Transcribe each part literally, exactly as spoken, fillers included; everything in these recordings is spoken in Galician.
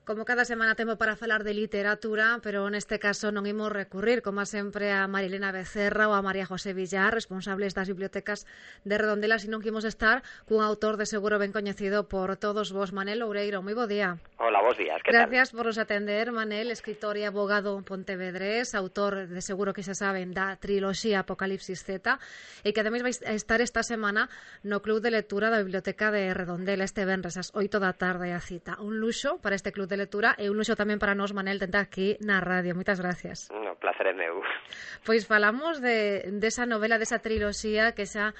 Como cada semana temos para falar de literatura, pero neste caso non imos recurrir, como sempre, a Marilena Becerra ou a María José Villar, responsables das bibliotecas de Redondela, sino que imos estar cun autor de seguro ben coñecido por todos vos, Manel Oureiro. Moi bo día. Hola, bos días, que tal? Gracias por nos atender, Manel, escritor e abogado pontevedrés, autor de seguro que xa saben da triloxía Apocalipsis Z, e que ademais vai estar esta semana no Club de Lectura da Biblioteca de Redondela este venres ás oito da tarde a cita. Un luxo para este Club de Lectura e un luxo tamén para nós, Manel, tentar aquí na radio. Moitas gracias. No, placer é meu. Pois falamos de desa novela, desa triloxía que xa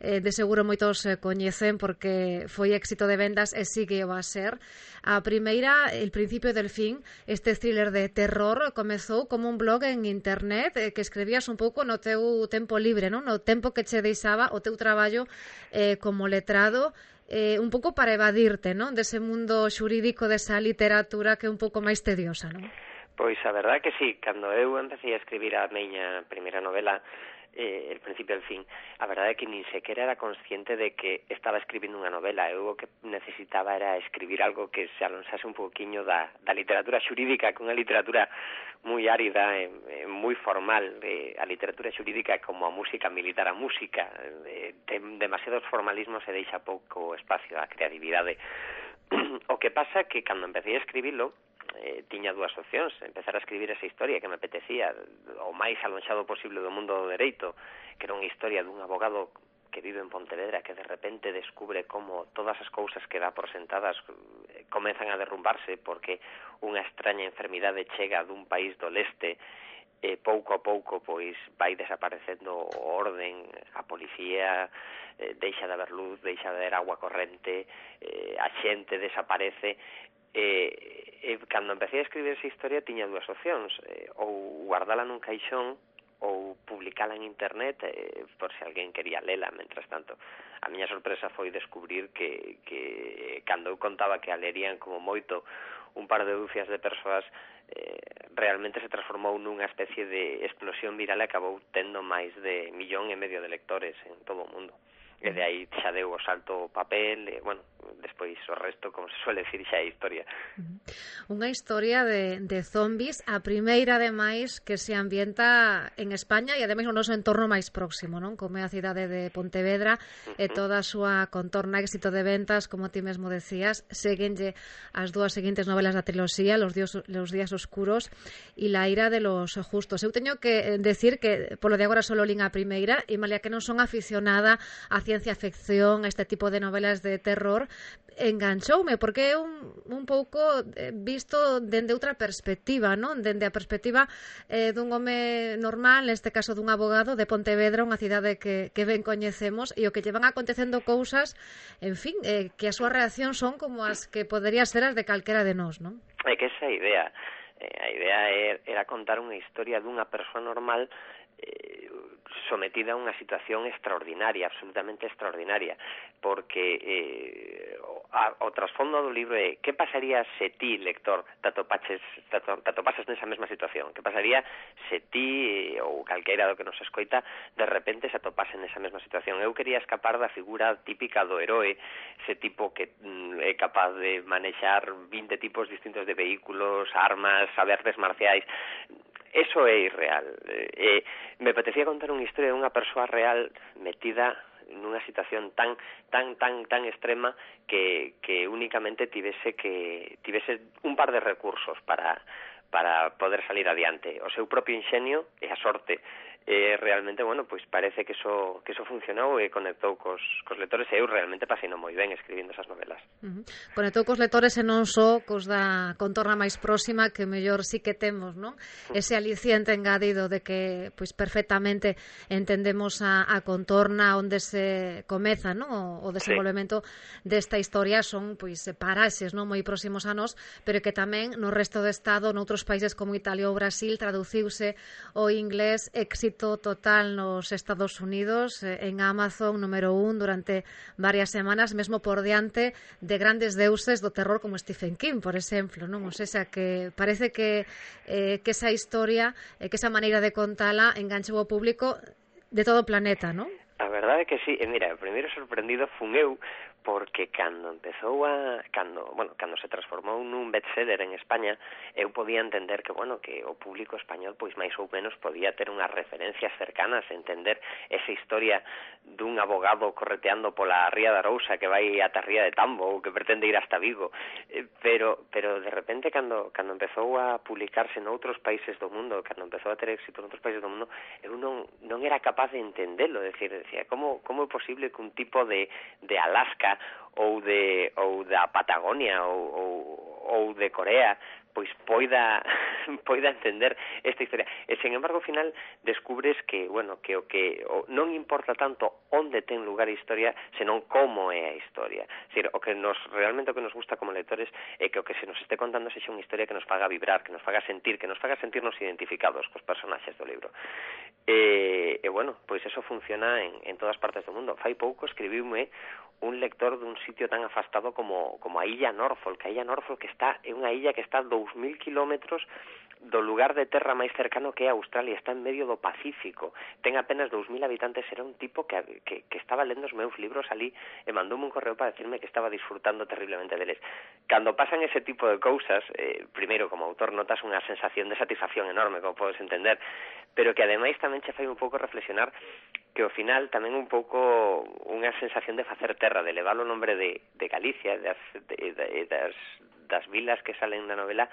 eh, de seguro moitos eh, coñecen porque foi éxito de vendas e sigue o a ser. A primeira, El principio del fin, este thriller de terror, comezou como un blog en internet eh, que escribías un pouco no teu tempo libre, non? No tempo que che deixaba o teu traballo eh, como letrado, eh, un pouco para evadirte, non? Dese mundo xurídico, desa literatura que é un pouco máis tediosa, non? Pois a verdade é que sí, cando eu empecé a escribir a miña primeira novela, eh, El principio del fin, a verdade é que nin sequera era consciente de que estaba escribindo unha novela. Eu o que necesitaba era escribir algo que se alonsase un pouquiño da, da literatura xurídica, que unha literatura moi árida e, e moi formal. Eh, a literatura xurídica é como a música militar, a música eh, ten demasiados formalismos e deixa pouco espacio á creatividade. O que pasa que cando empecé a escribilo, eh, tiña dúas opcións: empezar a escribir esa historia que me apetecía o máis alonxado posible do mundo do dereito, que era unha historia dun abogado que vive en Pontevedra, que de repente descubre como todas as cousas que dá por sentadas eh, comezan a derrumbarse porque unha extraña enfermidade chega dun país do leste. E pouco a pouco pois vai desaparecendo o orden, a policía eh, deixa de haber luz, deixa de haber agua corrente, eh, a xente desaparece. E, e cando empecé a escribir esa historia tiña dúas opcións: eh, ou guardala nun caixón ou publicala en internet, eh, por se alguén quería lela. Mentras tanto, a miña sorpresa foi descubrir que, que cando eu contaba que a lerían como moito un par de dúcias de persoas, eh, realmente se transformou nunha especie de explosión viral e acabou tendo máis de millón e medio de lectores en todo o mundo. E de aí xa deu o salto o papel, e, bueno, despois o resto, como se suele decir, xa é historia. Unha historia de, de zombies, a primeira, ademais, que se ambienta en España e, ademais, no noso entorno máis próximo, non? Como é a cidade de Pontevedra, uh-huh. E toda a súa contorna, éxito de ventas, como ti mesmo decías. Séguenlle as dúas seguintes novelas da triloxía, Los, dios, Los días oscuros e La ira de los justos. Eu teño que decir que, polo de agora, solo lín a primeira, e malia que non son aficionada a ciencia ficción, este tipo de novelas de terror, enganchoume, porque é un, un pouco visto dende outra perspectiva, non? Dende a perspectiva eh, dun home normal, neste caso dun abogado de Pontevedra, unha cidade que, que ben coñecemos, e o que lle van acontecendo cousas, en fin, eh, que as súas reaccións son como as que poderían ser as de calquera de nós, non? É que esa idea, eh, a idea era contar unha historia dunha persoa normal eh, sometida a unha situación extraordinaria, absolutamente extraordinaria, porque eh, o, o trasfondo do libro é que pasaría se ti, lector, te atopaches, te atopases nesa mesma situación, que pasaría se ti eh, ou calqueira do que nos escoita de repente se atopase nesa mesma situación. Eu quería escapar da figura típica do heroe, ese tipo que mm, é capaz de manexar vinte tipos distintos de vehículos, armas, saberes marciais. Eso é irreal. Eh, me apetecía contar unha historia dunha persoa real metida nunha situación tan tan tan tan extrema que que únicamente tivese que tivese un par de recursos para para poder salir adiante, o seu propio inxenio e a sorte. E realmente, bueno, pois parece que eso que eso funcionou e conectou cos, cos lectores, e eu realmente paseino moi ben escribindo esas novelas. Uh-huh. Conectou cos lectores e non só cos da contorna máis próxima, que mellor sí que temos, non? Uh-huh. Ese aliciente engadido de que pois perfectamente entendemos a, a contorna onde se comeza, non? O, o desenvolvemento sí. desta historia son pois paraxes, non, moi próximos a nós, pero que tamén no resto do Estado, noutros países como Italia ou Brasil, traduciuse o inglés éxito total nos Estados Unidos, en Amazon número un durante varias semanas, mesmo por diante de grandes deuses do terror como Stephen King, por exemplo, non? O sea, que parece que eh, que esa historia, eh, que esa maneira de contala enganchou ao público de todo o planeta, non? A verdade é que sí, e mira, o primeiro sorprendido fun eu, porque cando empezou a cando, bueno, cando se transformou nun bestseller en España, eu podía entender que, bueno, que o público español pois máis ou menos podía ter unhas referencias cercanas, entender esa historia dun abogado correteando pola ría da Arousa que vai ata a ría de Tambo ou que pretende ir hasta Vigo, eh, pero pero de repente cando cando empezou a publicarse noutros países do mundo, cando empezou a ter éxito noutros países do mundo, eu non non era capaz de entendelo, decir, decía, como como é posible que un tipo de de Alaska ou de ou da Patagonia ou, ou, ou de Corea pois poida poida entender esta historia. E, sen embargo, ao final descubres que, bueno, que o que o, non importa tanto onde ten lugar a historia, senón como é a historia. É dicir, o que nos realmente o que nos gusta como lectores é que o que se nos este contando sexa unha historia que nos faga vibrar, que nos faga sentir, que nos faga sentirnos identificados cos personaxes do libro. E, e bueno, pois eso funciona en, en todas partes do mundo. Fai pouco escribiume un lector dun sitio tan afastado como, como a illa Norfolk. A illa Norfolk está, é unha illa que está a dous mil kilómetros do lugar de terra máis cercano que é Australia, está en medio do Pacífico, ten apenas dous mil habitantes, era un tipo que, que, que estaba lendo os meus libros ali e mandoume un correo para decirme que estaba disfrutando terriblemente deles. Cando pasan ese tipo de cousas, eh, primeiro, como autor, notas unha sensación de satisfacción enorme, como podes entender, pero que ademais tamén che fai un pouco reflexionar que ao final tamén un pouco unha sensación de facer terra, de levar o nombre de, de Galicia, das, de, de, das, das vilas que salen na novela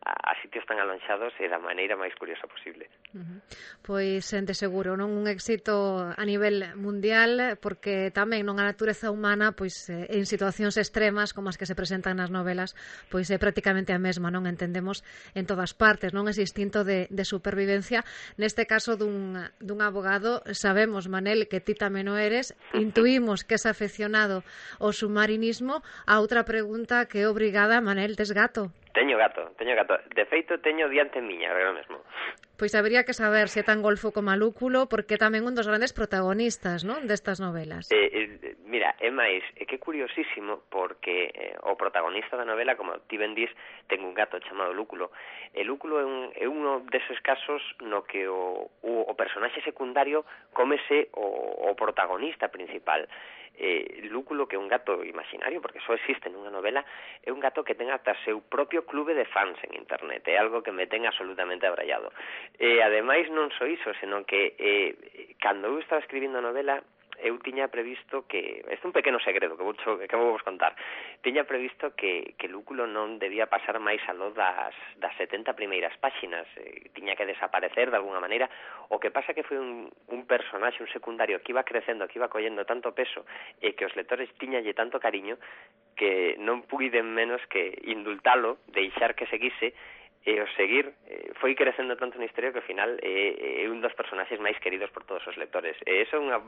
a, a sitios tan alonxados e da maneira máis curiosa posible. Uh-huh. Pois, de seguro, non un éxito a nivel mundial, porque tamén non a natureza humana, pois en situacións extremas como as que se presentan nas novelas, pois é prácticamente a mesma, non entendemos en todas partes, non ese instinto de, de supervivencia. Neste caso dun, dun abogado, sabemos, Manel, que ti tamén o eres, intuímos que es afeccionado ao submarinismo. A outra pregunta que é obrigada, Manel, tes gato? Teño gato, teño gato. De feito, teño diante miña, agora mesmo. Pois habería que saber se é tan golfo como a Lúculo, porque é tamén un dos grandes protagonistas, non, destas novelas. Eh, eh, mira, é máis, é que é curiosísimo, porque eh, o protagonista da novela, como ti ben dis, ten un gato chamado Lúculo. E Lúculo é, un, é uno deses casos no que o, o, o personaxe secundario cómese o, o protagonista principal. Eh, Lúculo, que é un gato imaginario, porque só existe nunha novela, é un gato que ten ata seu propio clube de fans en internet, é algo que me ten absolutamente abrallado. E ademais non só iso, senón que eh, cando eu estaba escribindo a novela, eu tiña previsto que, este é un pequeno segredo que vou, que vou vos contar, tiña previsto que, que Lúculo non debía pasar máis aló das, das setenta primeiras páxinas, eh, tiña que desaparecer de alguna maneira. O que pasa que foi un, un personaxe, un secundario que iba crecendo, que iba collendo tanto peso e que os lectores tiñalle tanto cariño que non puiden menos que indultalo, deixar que seguise, e o seguir eh, foi crecendo tanto na historia que ao final é, é un dos personaxes máis queridos por todos os lectores. E iso é unha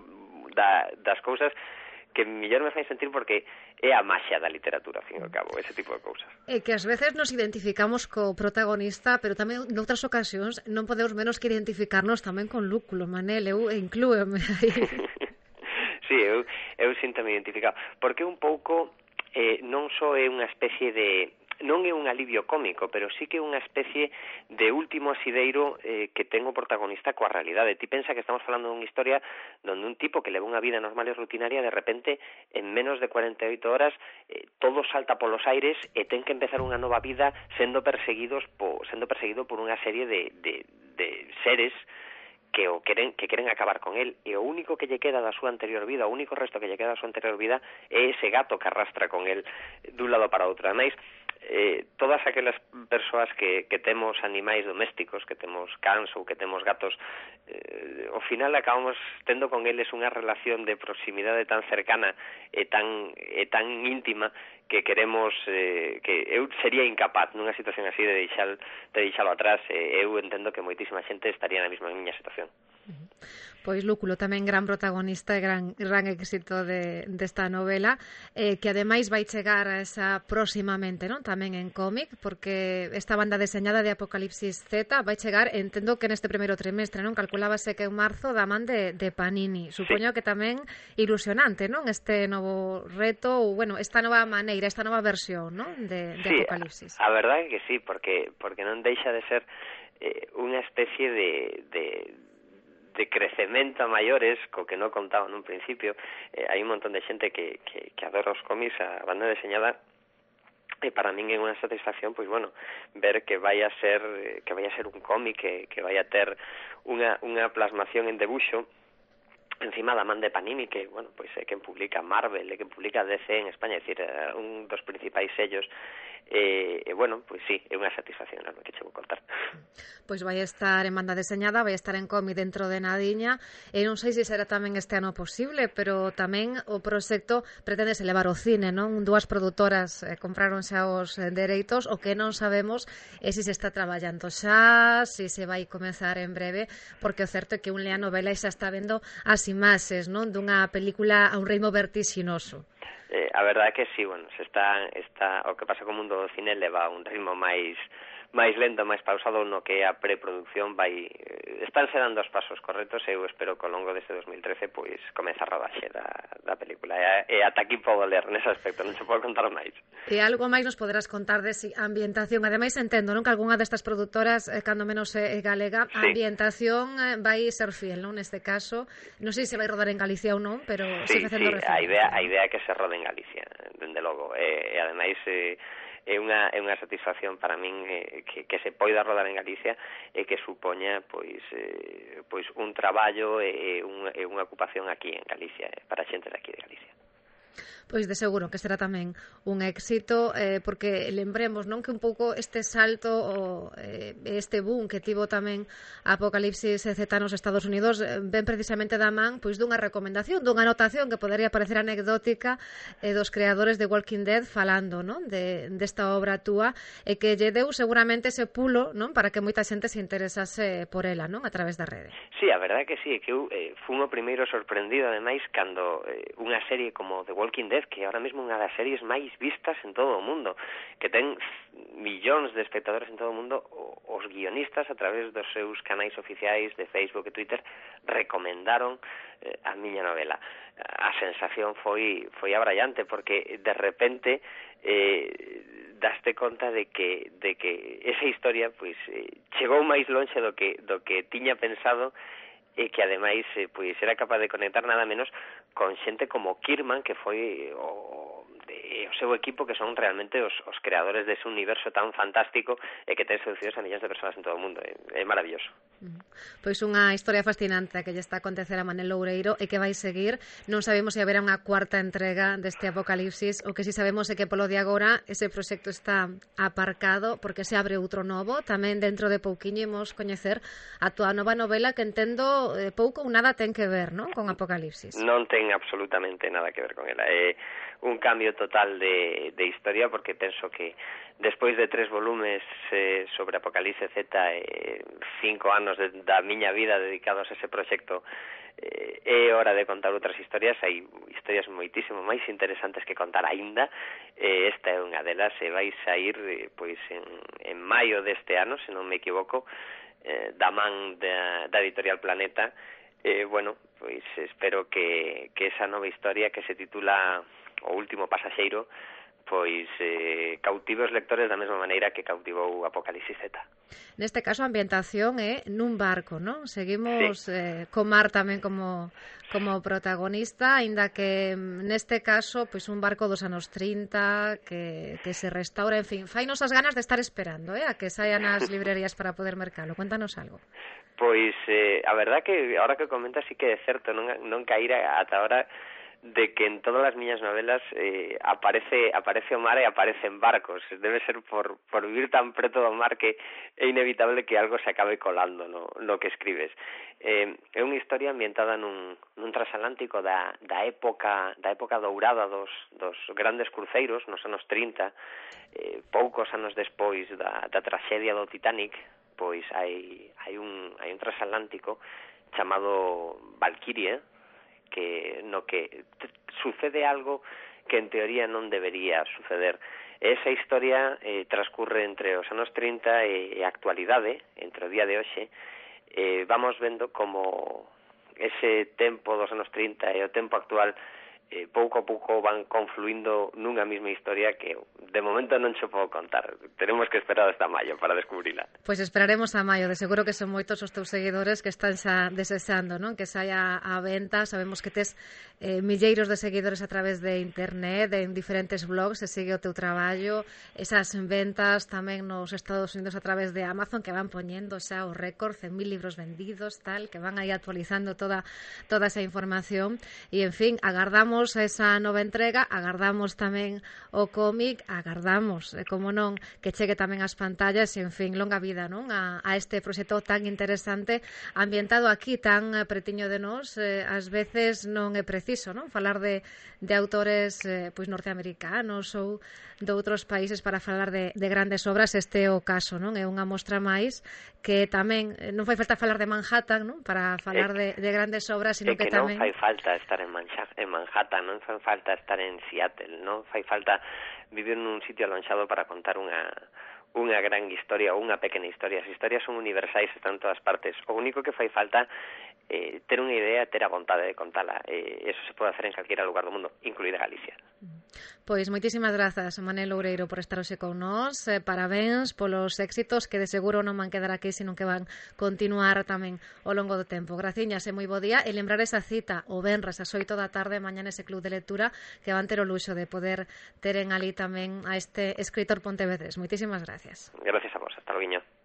da, das cousas que mellor me fai sentir, porque é a maxia da literatura, ao fin e ao cabo, ese tipo de cousas. É que ás veces nos identificamos co protagonista, pero tamén noutras ocasións non podemos menos que identificarnos tamén con Lúculo, Manel, eu inclúeme aí. Sí, eu, eu sinto-me identificado, porque un pouco eh, non só é unha especie de... non é un alivio cómico, pero sí que é unha especie de último asideiro eh, que ten o protagonista coa realidade. Ti pensa que estamos falando dunha historia donde un tipo que leva unha vida normal e rutinaria, de repente, en menos de cuarenta e oito horas, eh, todo salta polos aires e ten que empezar unha nova vida sendo perseguidos po, sendo perseguido por unha serie de, de, de seres que o queren que queren acabar con él, e o único que lle queda da súa anterior vida, o único resto que lle queda da súa anterior vida é ese gato que arrastra con él dun lado para outro. Ademais, eh, todas aquelas persoas que, que temos animais domésticos, que temos cans ou que temos gatos, eh, ao final acabamos tendo con eles unha relación de proximidade tan cercana e tan, e tan íntima que queremos, eh, que eu sería incapaz nunha situación así de deixar de deixalo atrás. E eu entendo que moitísima xente estaría na mesma miña situación. Pois Lúculo tamén gran protagonista e gran, gran éxito de, desta novela, eh, que ademais vai chegar a esa próximamente, non? Tamén en cómic, porque esta banda deseñada de Apocalipsis Z vai chegar, entendo que neste primeiro trimestre, non? Calculábase que en marzo da man de, de Panini. Supoño sí. Que tamén ilusionante, non? Este novo reto, ou, bueno, esta nova maneira, esta nova versión, non? De, de sí, Apocalipsis. A, a verdade é que sí, porque porque non deixa de ser eh, unha especie de... de de crecemento a maiores, co que non contaba nun principio. Eh, hai un montón de xente que, que, que adora os cómics, a banda deseñada, e para min é unha satisfacción, pois bueno, ver que vai a ser que vai a ser un cómic, que, que vai a ter unha, unha plasmación en debuxo encima da man de Panini, que, bueno, pois é quen publica Marvel, é quen publica D C en España, é dicir, un dos principais sellos. E, e bueno, pois sí, é unha satisfacción enorme que che vou contar. Pois vai estar en banda deseñada, vai estar en cómic dentro de nadiña, e non sei se será tamén este ano posible, pero tamén o proxecto pretende levar ao cine, non? Dúas produtoras eh, compraron xa os eh, dereitos, o que non sabemos é se se está traballando xa, se se vai comezar en breve, porque o certo é que un lea novela e xa está vendo as imaxes, non? Dunha película a un ritmo vertixinoso. Eh, a verdade é que sí, bueno, se está, está, o que pasa co mundo do cine leva un ritmo máis máis lento, máis pausado no que a preproducción vai... Están se dando os pasos correctos e eu espero que ao longo deste dos mil trece pois comeza a rodaxe da, da película. E, e ata aquí podo ler nese aspecto, non se pode contar máis. E algo máis nos poderás contar de si ambientación. Ademais, entendo, non, que algunha destas produtoras, eh, cando menos é eh, galega, a sí. ambientación eh, vai ser fiel, non? Neste caso, non sei se vai rodar en Galicia ou non, pero sí, sí facendo sí, a idea, a idea é que se rode en Galicia, dende logo. E, e ademais... Eh, é unha é unha satisfacción para min eh, que, que se poida rodar en Galicia e que supoña pois eh, pois un traballo e, un, e unha ocupación aquí en Galicia, eh, para a xente de aquí de Galicia. Pois de seguro que será tamén un éxito, eh, porque lembremos, non, que un pouco este salto o eh, este boom que tivo tamén Apocalipsis Z nos Estados Unidos eh, ven precisamente da man pois dunha recomendación, dunha anotación que podería parecer anecdótica eh, dos creadores de Walking Dead falando, non, de desta obra túa, e que lle deu seguramente ese pulo, non, para que moita xente se interesase por ela, non, a través da rede. Sí, a verdade é que sí, que eu eh, fui o primeiro sorprendido, ademais, cando eh, unha serie como The Walking Dead, que ahora mesmo unha das series máis vistas en todo o mundo, que ten millóns de espectadores en todo o mundo, os guionistas a través dos seus canais oficiais de Facebook e Twitter recomendaron eh, a miña novela. A sensación foi foi abrallante, porque de repente eh, daste conta de que de que esa historia pois eh, chegou máis lonxe do que do que tiña pensado, e que ademais eh, pois era capaz de conectar nada menos con xente como Kirkman, que foi o, de, o seu equipo, que son realmente os, os creadores dese universo tan fantástico e que ten seducidos a millóns de persoas en todo o mundo. É, é maravilloso. Pois unha historia fascinante que lle está a acontecer a Manel Loureiro e que vai seguir. Non sabemos se haberá unha cuarta entrega deste Apocalipsis, o que si sabemos é que polo de agora ese proxecto está aparcado porque se abre outro novo. Tamén dentro de pouquiño imos coñecer a túa nova novela, que entendo eh, pouco ou nada ten que ver, non, con Apocalipsis. Non ten absolutamente nada que ver con ela. É un cambio total de, de historia, porque penso que despois de tres volumes eh, sobre Apocalipsis Z e eh, cinco anos de, da miña vida dedicados a ese proxecto, eh, é hora de contar outras historias. Hai historias moitísimo máis interesantes que contar aínda, eh, esta é unha delas, e vai sair eh, pois en, en maio deste ano, se non me equivoco, eh, da man da, da Editorial Planeta. Eh, bueno, pois espero que, que esa nova historia, que se titula O último pasaxeiro, pois eh, cautive os lectores da mesma maneira que cautivou Apocalipsis Z. Neste caso a ambientación é nun barco, non? Seguimos sí. eh, co mar tamén como como protagonista, aínda que neste caso pois un barco dos anos trinta que, que se restaura, en fin, fainos as ganas de estar esperando, eh, a que saian as librerías para poder mercalo. Cuéntanos algo. Pois eh, a verdad que ahora que comentas sí que é certo, non, non caíra ata ahora de que en todas as miñas novelas eh, aparece aparece o mar e aparecen barcos. Debe ser por, por vivir tan preto do mar que é inevitable que algo se acabe colando no, no que escribes. Eh, é unha historia ambientada nun, nun transatlántico da, da época da época dourada dos, dos grandes cruceiros nos anos trinta, eh, poucos anos despois da, da traxedia do Titanic, pois hai, hai, un, hai un transatlántico chamado Valkyrie, que no que sucede algo que en teoría non debería suceder. Esa historia eh, transcurre entre os anos trinta e a actualidade, entre o día de hoxe. Eh, vamos vendo como ese tempo dos anos trinta e o tempo actual eh, pouco a pouco van confluindo nunha mesma historia que de momento non se podo contar. Tenemos que esperar hasta maio para descubrila. Pois esperaremos a maio, de seguro que son moitos os teus seguidores que están xa desexando, non? Que saia a venta. Sabemos que tes eh, milleiros de seguidores a través de internet, en diferentes blogs, se sigue o teu traballo, esas ventas tamén nos Estados Unidos a través de Amazon, que van poñendo xa o récord, cen mil libros vendidos, tal, que van aí actualizando toda toda esa información. E, en fin, agardamos esa nova entrega, agardamos tamén o cómic, agardamos, como non, que chegue tamén ás pantallas e, en fin, longa vida, non? A, a este proxecto tan interesante, ambientado aquí, tan pretiño de nós, eh, ás veces non é preciso, non? Falar de, de autores eh, pois norteamericanos ou de outros países para falar de, de grandes obras. Este é o caso, non? É unha mostra máis que tamén non fai falta falar de Manhattan, non? Para falar de, de grandes obras, sino que, que, que tamén non fai falta estar en, Mancha, en Manhattan, non fai falta estar en Seattle, non fai falta vivir nun sitio alonxado para contar unha unha gran historia ou unha pequena historia. As historias son universais, están en todas partes. O único que fai falta eh, ter unha idea, ter a vontade de contala. Eh, eso se pode hacer en calquera lugar do mundo, incluída Galicia. Pois moitísimas grazas, Manel Loureiro, por estar hoxe con nós. Eh, parabéns polos éxitos, que de seguro non van quedar aquí, sino que van continuar tamén ao longo do tempo. Graciñas e moi bo día. E lembrar esa cita o venres ás oito da tarde mañá nese club de lectura, que van ter o luxo de poder ter en ali tamén a este escritor pontevedrés. Moitísimas gracias. Gracias a vos. Hasta logo.